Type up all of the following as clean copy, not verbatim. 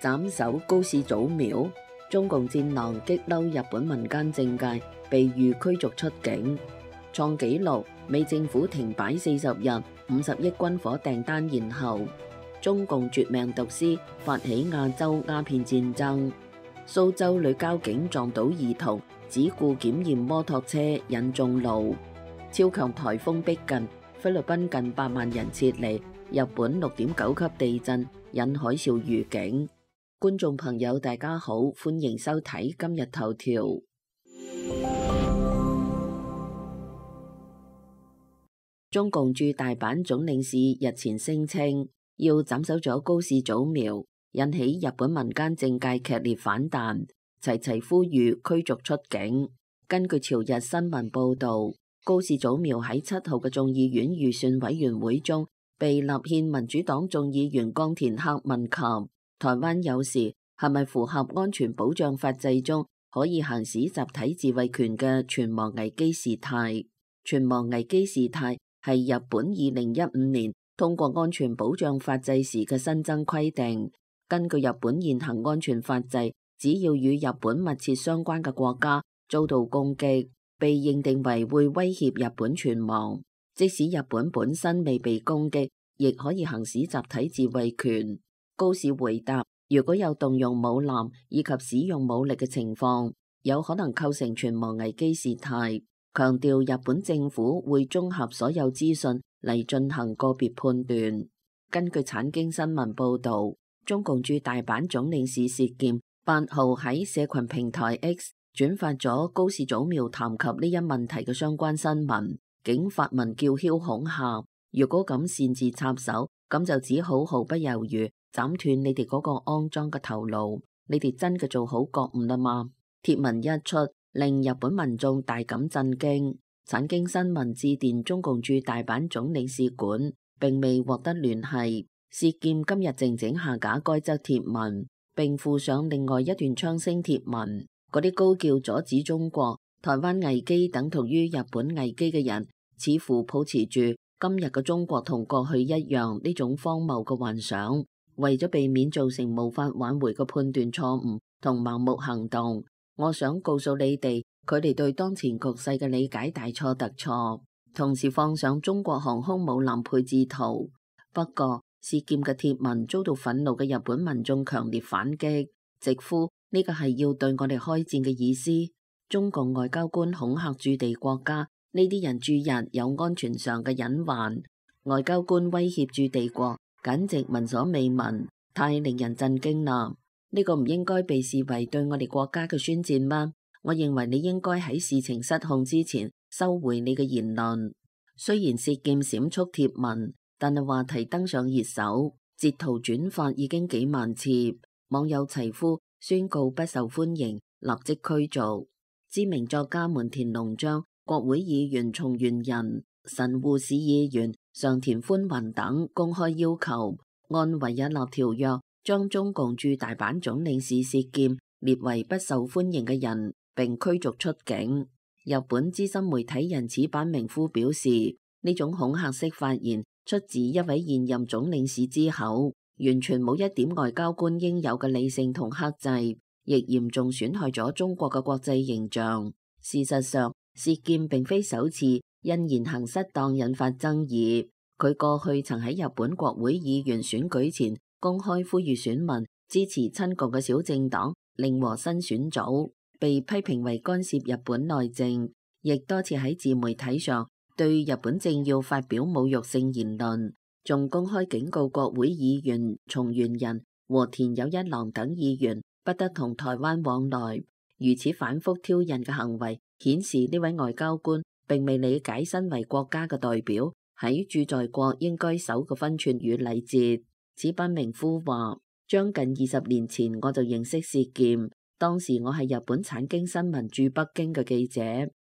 斬首高市祖廟，中共戰狼激嬲日本民間政界，被諭驅逐出境，創紀錄。美政府停擺40日，50億軍火訂單延後。中共絕命毒師發起亞洲鴉片戰爭。蘇州女交警撞倒兒童，只顧檢驗摩托車引眾怒。超強颱風逼近，菲律賓近8萬人撤離。日本6.9級地震引海嘯預警。觀眾朋友大家好，歡迎收睇今日頭條。中共駐大阪總領事日前聲稱要斬首咗高市祖廟，引起日本民間政界劇烈反彈，齊齊呼籲驅逐出境。根據朝日新聞報道，高市祖廟喺7號嘅眾議院預算委員會中被立憲民主黨眾議員岡田克問及台灣有事係咪符合安全保障法制中可以行使集體自衛權嘅存亡危機事態。存亡危機事態係日本2015年通過安全保障法制時嘅新增規定。根據日本現行安全法制，只要與日本密切相關嘅國家遭到攻擊，被認定為會威脅日本存亡，即使日本本身未被攻擊，亦可以行使集體自衛權。高市回答，如果有動用武力以及使用武力嘅情況，有可能構成存亡危機事態。強調日本政府會綜合所有資訊嚟進行個別判斷。根據產經新聞報導，中共駐大阪總領事薛劍8號喺社群平台 X 轉發咗高市祖廟談及呢一問題嘅相關新聞，竟發文叫囂恐嚇，如果咁擅自插手，咁就只好毫不猶豫斬斷你哋嗰個骯髒嘅頭顱，你哋真嘅做好覺悟啦嘛？貼文一出，令日本民眾大感震驚。產經新聞致電中共駐大阪總領事館，並未獲得聯繫。薛劍今日靜靜下架該則貼文，並附上另外一段槍聲貼文。嗰啲高叫阻止中國、台灣危機等同於日本危機嘅人，似乎抱持住今日嘅中國同過去一樣呢種荒謬嘅幻想，為咗避免造成無法挽回嘅判斷錯誤同盲目行動。我想告訴你哋，佢哋對當前局勢嘅理解大錯特錯，同時放上中國航空母艦配置圖。不過，薛劍嘅貼文遭到憤怒嘅日本民眾強烈反擊，直呼呢個係要對我哋開戰嘅意思。中共外交官恐嚇駐地國家，呢啲人駐日有安全上嘅隱患。外交官威脅駐地國，簡直聞所未聞，太令人震驚啦！呢個唔應該被視為對我哋國家嘅宣戰嗎？我認為你應該喺事情失控之前收回你嘅言論。雖然薛劍閃縮貼文，但係話題登上熱搜，截圖轉發已經幾萬次，網友齊呼宣告不受歡迎，立即驅逐。知名作家門田隆章、國會議員松原仁、神戶市議員上田寬宏等公開要求按維也納條約將中共駐大阪總領事薛劍列為不受歡迎嘅人，並驅逐出境。日本資深媒體人矢板明夫表示，呢種恐嚇式發言出自一位現任總領事之口，完全冇一點外交官應有嘅理性同克制，亦嚴重損害咗中國嘅國際形象。事實上，薛劍並非首次因言行失當引發爭議，佢過去曾喺日本國會議員選舉前公開呼籲選民支持親共嘅小政黨令和新選組，被批評為干涉日本內政，亦多次喺自媒體上對日本政要發表侮辱性言論，仲公開警告國會議員松原仁和田有一郎等議員不得同台灣往來。如此反覆挑釁嘅行為，顯示呢位外交官並未理解身為國家嘅代表喺駐在國應該守嘅分寸與禮節。矢板明夫話，將近20年前我就認識薛劍，當時我係日本產經新聞駐北京嘅記者，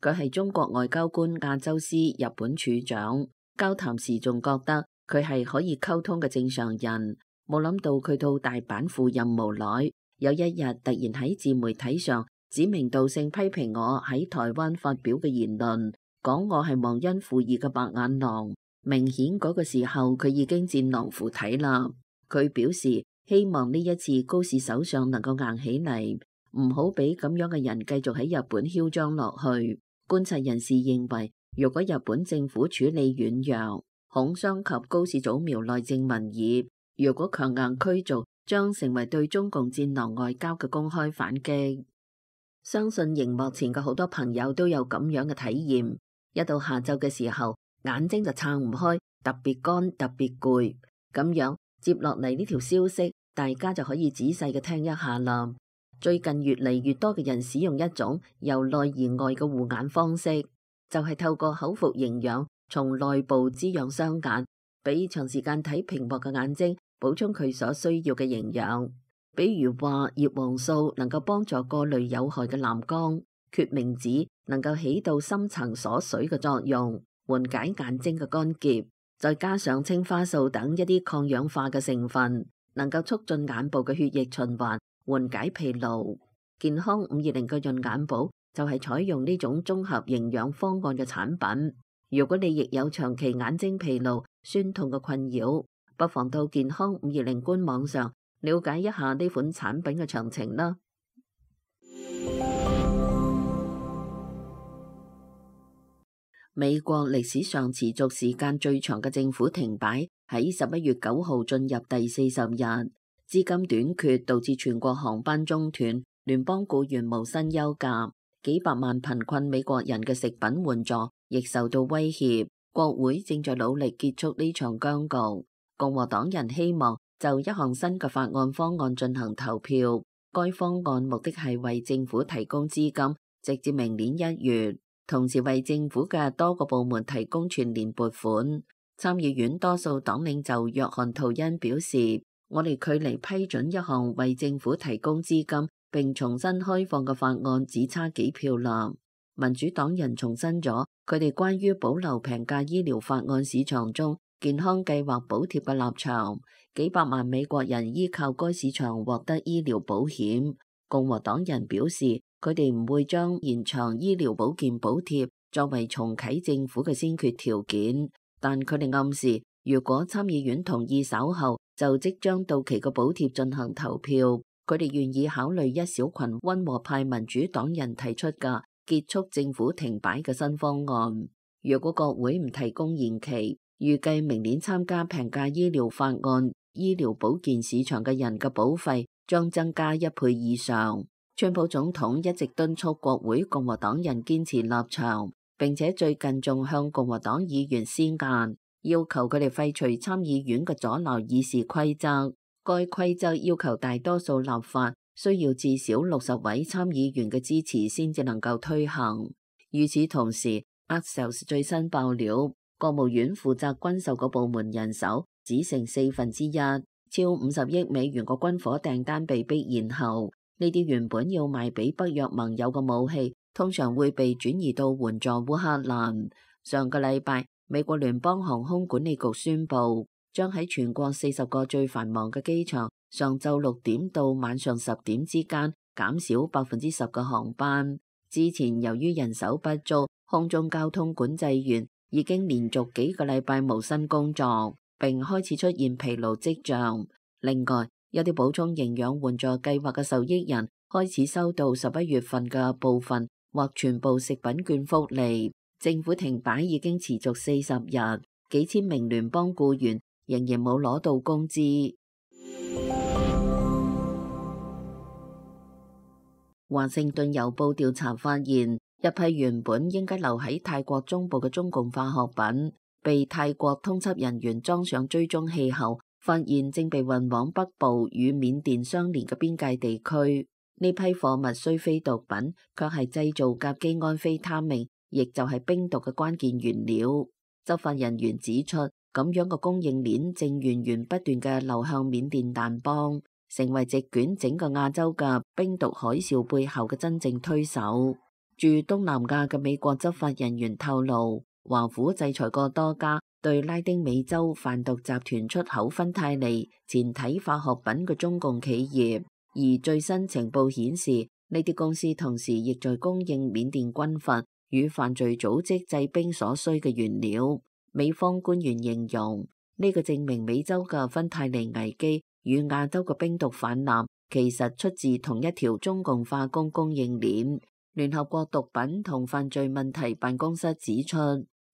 佢係中國外交官亞洲司日本處長，交談時仲覺得佢係可以溝通嘅正常人，冇諗到佢到大阪赴任無耐，有一日突然喺自媒體上指名道姓批評我喺台灣發表嘅言論，講我係忘恩負義嘅白眼狼。明顯嗰個時候佢已經戰狼附體啦。佢表示希望呢一次高市首相能夠硬起嚟，唔好俾咁樣嘅人繼續喺日本囂張落去。觀察人士認為，如果日本政府處理軟弱，恐傷及高市早苗內政民意；如果強硬驅逐，將成為對中共戰狼外交嘅公開反擊。相信熒幕前嘅好多朋友都有咁樣嘅體驗，一到下晝嘅時候，眼睛就撐唔開，特別乾，特別攰。咁樣接落嚟呢條消息，大家就可以仔細嘅聽一下啦。最近越嚟越多嘅人使用一種由內而外嘅護眼方式，就係透過口服營養，從內部滋養雙眼，俾長時間睇屏幕嘅眼睛補充佢所需要嘅營養。比如話葉黃素能夠幫助過濾有害嘅藍光，決明子能夠起到深層鎖水嘅作用，緩解眼睛嘅乾澀，再加上青花素等一啲抗氧化嘅成分，能夠促進眼部嘅血液循環，緩解疲勞。健康520嘅潤眼寶就係採用呢種綜合營養方案嘅產品。如果你亦有長期眼睛疲勞、酸痛嘅困擾，不妨到健康520官網上了解一下呢款產品嘅詳情啦。美國歷史上持續時間最長嘅政府停擺喺11月9號進入第40日，資金短缺導致全國航班中斷，聯邦僱員無薪休假，幾百萬貧困美國人嘅食品援助亦受到威脅。國會正在努力結束呢場僵局。共和黨人希望就一項新嘅法案方案進行投票，該方案目的係為政府提供資金，直至明年1月，同時為政府嘅多個部門提供全年撥款。參議院多數黨領袖約翰圖恩表示，我哋距離批准一項為政府提供資金並重新開放嘅法案只差幾票啦。民主黨人重申咗佢哋關於保留平價醫療法案市場中健康計劃補貼嘅立場，幾百萬美國人依靠該市場獲得醫療保險。共和黨人表示，佢哋唔會將延長醫療保健補貼作為重啟政府嘅先決條件，但佢哋暗示，如果參議院同意稍後就即將到期嘅補貼進行投票，佢哋願意考慮一小群溫和派民主黨人提出嘅結束政府停擺嘅新方案。如果國會唔提供延期，預計明年參加平價醫療法案醫療保健市場嘅人嘅保費將增加1倍以上。川普總統一直敦促國會共和黨人堅持立場，並且最近仲向共和黨議員施壓，要求佢哋廢除參議院嘅阻撓議事規則。該規則要求大多數立法需要至少60位參議員嘅支持先至能夠推行。與此同時， Axios 最新爆料，國務院負責軍售嘅部門人手只剩1/4，超50億美元嘅軍火訂單被迫延後。呢啲原本要賣俾北約盟友嘅武器，通常會被轉移到援助烏克蘭。上個禮拜，美國聯邦航空管理局宣布，將喺全國40個最繁忙嘅機場，上晝6點到晚上10點之間減少10%嘅航班。之前由於人手不足，空中交通管制員已經連續幾個禮拜無薪工作，並開始出現疲勞跡象。另外，有啲補充營養援助計劃嘅受益人開始收到11月份嘅部分或全部食品券福利。政府停擺已經持續40日，幾千名聯邦僱員仍然冇攞到工資。華盛頓郵報調查發現，一批原本應該留喺泰國中部嘅中共化學品，被泰國通緝人員裝上追蹤器後，發現正被運往北部與緬甸相連嘅邊界地區。呢批貨物雖非毒品，卻係製造甲基胺非他命，亦就係冰毒嘅關鍵原料。執法人員指出，咁樣嘅供應鏈正源源不斷嘅流向緬甸掸邦，成為席捲整個亞洲嘅冰毒海嘯背後嘅真正推手。駐東南亞嘅美國執法人員透露，華府制裁過多家對拉丁美洲販毒集團出口芬太尼前體化學品嘅中共企業，而最新情報顯示，呢啲公司同時亦在供應緬甸軍閥與犯罪組織製冰所需嘅原料。美方官員形容，呢個證明美洲嘅芬太尼危機與亞洲嘅冰毒氾濫其實出自同一條中共化工供應鏈。聯合國毒品同犯罪問題辦公室指出，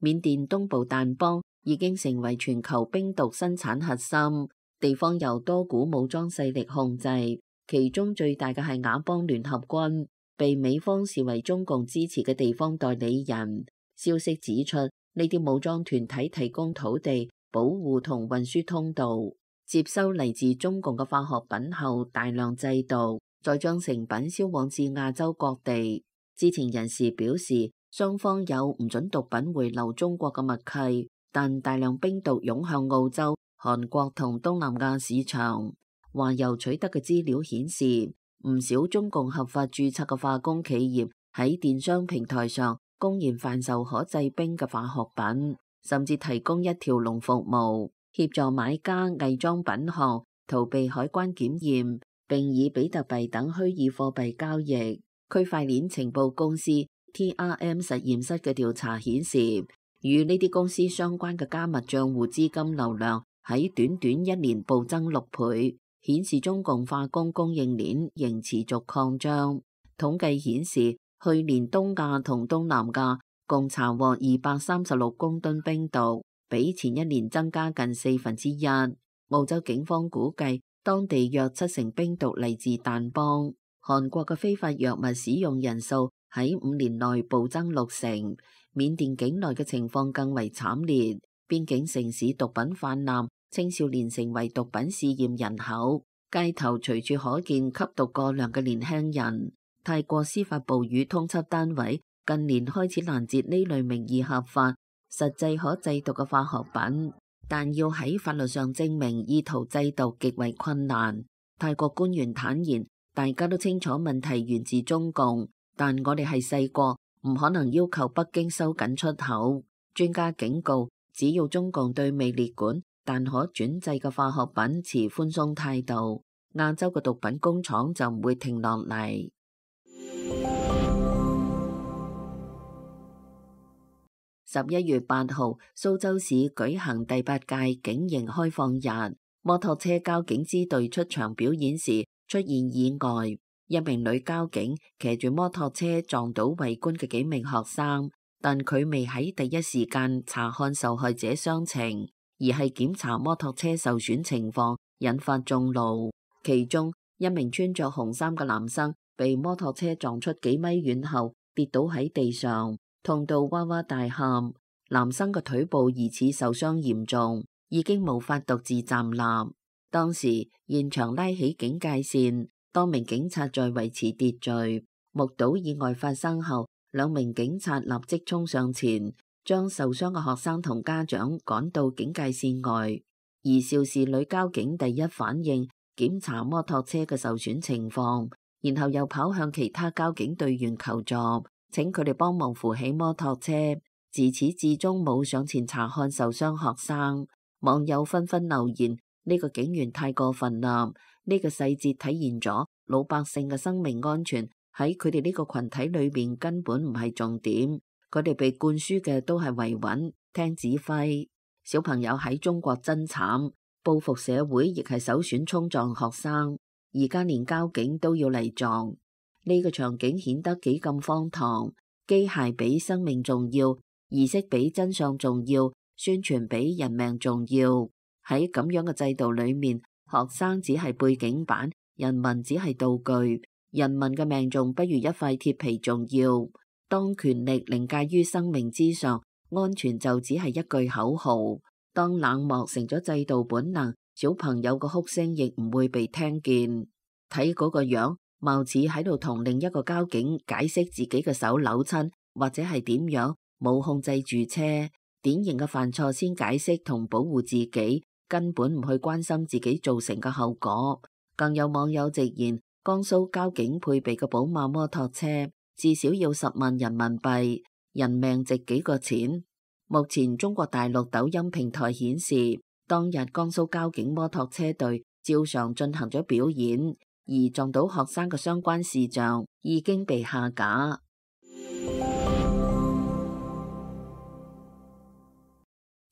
緬甸東部掸邦已經成為全球冰毒生產核心，地方由多股武裝勢力控制，其中最大嘅係佤邦聯合軍，被美方視為中共支持嘅地方代理人。消息指出，呢啲武裝團體提供土地、保護同運輸通道，接收嚟自中共嘅化學品後大量製毒，再將成品銷往至亞洲各地。知情人士表示，雙方有唔准毒品回流中國嘅默契，但大量冰毒湧向澳洲、韓國同東南亞市場。華郵取得嘅資料顯示，唔少中共合法註冊嘅化工企業喺電商平台上公然販售可製冰嘅化學品，甚至提供一條龍服務，協助買家偽裝品項，逃避海關檢驗，並以比特幣等虛擬貨幣交易。區塊鏈情報公司 TRM 實驗室嘅調查顯示，與呢啲公司相關嘅加密賬戶資金流量喺短短一年暴增6倍，顯示中共化工供應鏈仍持續擴張。統計顯示，去年東亞同東南亞共查獲236公噸冰毒，比前一年增加近1/4。澳洲警方估計，當地約70%冰毒嚟自掸邦。韓國嘅非法藥物使用人數喺5年內暴增60%，緬甸境內嘅情況更為慘烈，邊境城市毒品泛濫，青少年成為毒品試驗人口，街頭隨處可見吸毒過量嘅年輕人。泰國司法部與通緝單位近年開始攔截呢類名義合法、實際可製毒嘅化學品，但要喺法律上證明意圖製毒極為困難。泰國官員坦言，大家都清楚問題源自中共，但我哋係細國，唔可能要求北京收緊出口。專家警告，只要中共對未列管但可轉製嘅化學品持寬鬆態度，亞洲嘅毒品工廠就唔會停落嚟。11月8號，蘇州市舉行第8屆警營開放日，摩托車交警支隊出場表演時出現意外，一名女交警騎住摩托車撞倒圍觀嘅幾名學生，但佢未喺第一時間查看受害者傷情，而係檢查摩托車受損情況，引發眾怒。其中一名穿着紅衫嘅男生被摩托車撞出幾米遠後跌倒喺地上，痛到哇哇大喊。男生嘅腿部疑似受傷嚴重，已經無法獨自站立。當時現場拉起警戒線，多名警察在維持秩序。目睹意外發生後，2名警察立即衝上前，將受傷嘅學生同家長趕到警戒線外。而肇事女交警第一反應檢查摩托車嘅受損情況，然後又跑向其他交警隊員求助，請佢哋幫忙扶起摩托車。自始至終冇上前查看受傷學生。網友紛紛留言：呢個警員太過分啦！呢個細節體現咗老百姓嘅生命安全喺佢哋呢個群體裏面根本唔係重點，佢哋被灌輸嘅都係維穩、聽指揮。小朋友喺中國真慘，報復社會亦係首選衝撞學生，而家連交警都要嚟撞，呢個場景顯得幾咁荒唐。機械比生命重要，儀式比真相重要，宣傳比人命重要。喺咁樣嘅制度裏面，學生只係背景板，人民只係道具，人民嘅命仲不如一塊鐵皮重要。當權力凌駕於生命之上，安全就只係一句口號。當冷漠成咗制度本能，小朋友嘅哭聲亦唔會被聽見。睇嗰個樣，貌似喺度同另一個交警解釋自己嘅手扭親，或者係點樣冇控制住車。典型嘅犯錯先解釋同保護自己，根本唔去關心自己造成嘅後果。更有網友直言，江蘇交警配備嘅寶馬摩托車至少要10萬人民幣，人命值幾個錢。目前中國大陸抖音平台顯示，當日江蘇交警摩托車隊照常進行咗表演，而撞到學生嘅相關視像已經被下架。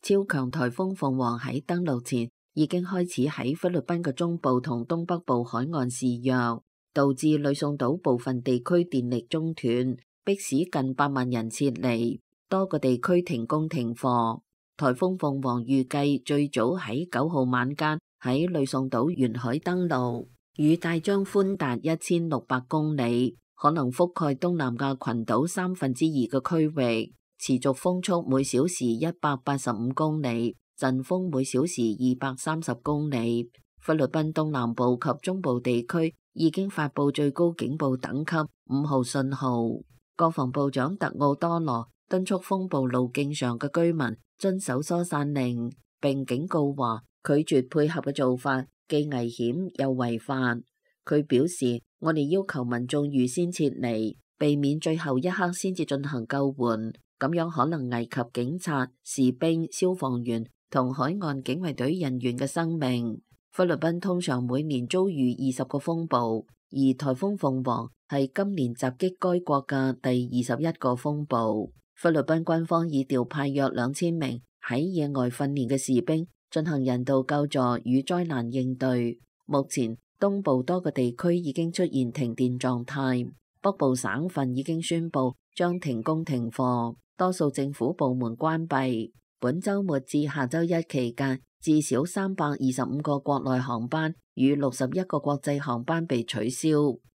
超強颱風鳳凰喺登陸前已經開始喺菲律賓嘅中部同東北部海岸肆虐，導致呂宋島部分地區電力中斷，迫使近8萬人撤離，多個地區停工停課。颱風鳳凰預計最早喺9號晚間喺呂宋島沿海登陸，雨帶將寬達1600公里，可能覆蓋東南亞群島2/3嘅區域，持續風速每小時185公里，陣風每小時230公里。菲律賓東南部及中部地區已經發布最高警報等級5號信號。國防部長特奧多羅敦促風暴路徑上嘅居民遵守疏散令，並警告話拒絕配合嘅做法既危險又違法。佢表示，我哋要求民眾預先撤離，避免最後一刻先至進行救援，咁樣可能危及警察、士兵、消防員同海岸警衛隊人員嘅生命。菲律賓通常每年遭遇20個風暴，而颱風鳳凰係今年襲擊該國嘅第21個風暴。菲律賓軍方已調派約2000名喺野外訓練嘅士兵進行人道救助與災難應對。目前東部多個地區已經出現停電狀態，北部省份已經宣布將停工停課，多數政府部門關閉。本週末至下週一期間，至少325個國內航班與61個國際航班被取消。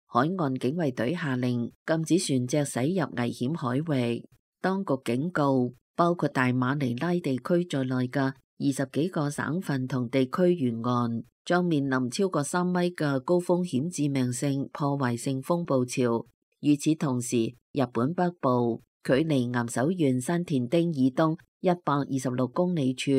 海岸警衛隊下令禁止船隻駛入危險海域。當局警告，包括大馬尼拉地區在內嘅20幾個省份同地區沿岸將面臨超過3米嘅高風險致命性破壞性風暴潮。與此同時，日本北部距離岩手縣山田町以東126公里處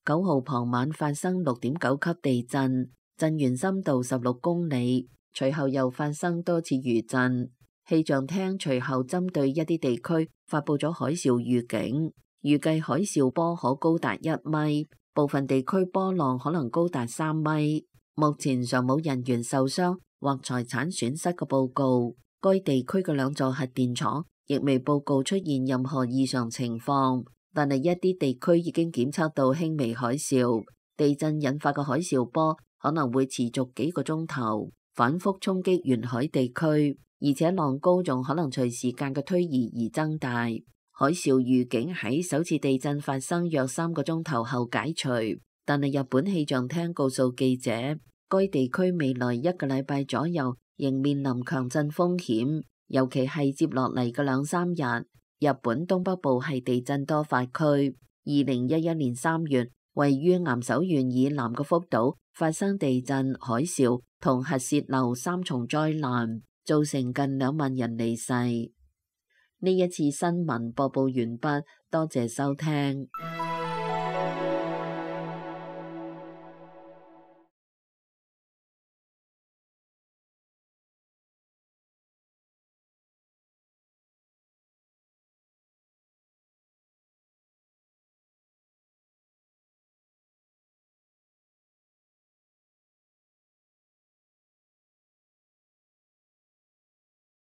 9號傍晚發生6.9級地震，震源深度16公里，隨後又發生多次餘震。氣象廳隨後針對一啲地區發布咗海嘯預警，預計海嘯波可高達1米，部分地區波浪可能高達3米。目前尚冇人員受傷或財產損失嘅報告。該地區嘅2座核電廠亦未報告出現任何異常情況，但係一啲地區已經檢測到輕微海嘯。地震引發嘅海嘯波可能會持續幾個鐘頭，反覆衝擊沿海地區。而且浪高仲可能隨時間嘅推移而增大。海嘯預警喺首次地震發生約3個鐘頭後解除，但係日本氣象廳告訴記者，該地區未來1個禮拜左右仍面臨強震風險，尤其係接落嚟嘅2-3日。日本東北部係地震多發區。2011年3月，位於岩手縣以南嘅福島發生地震、海嘯同核洩漏3重災難，造成近2萬人離世。呢一次新聞播報完畢，多謝收聽。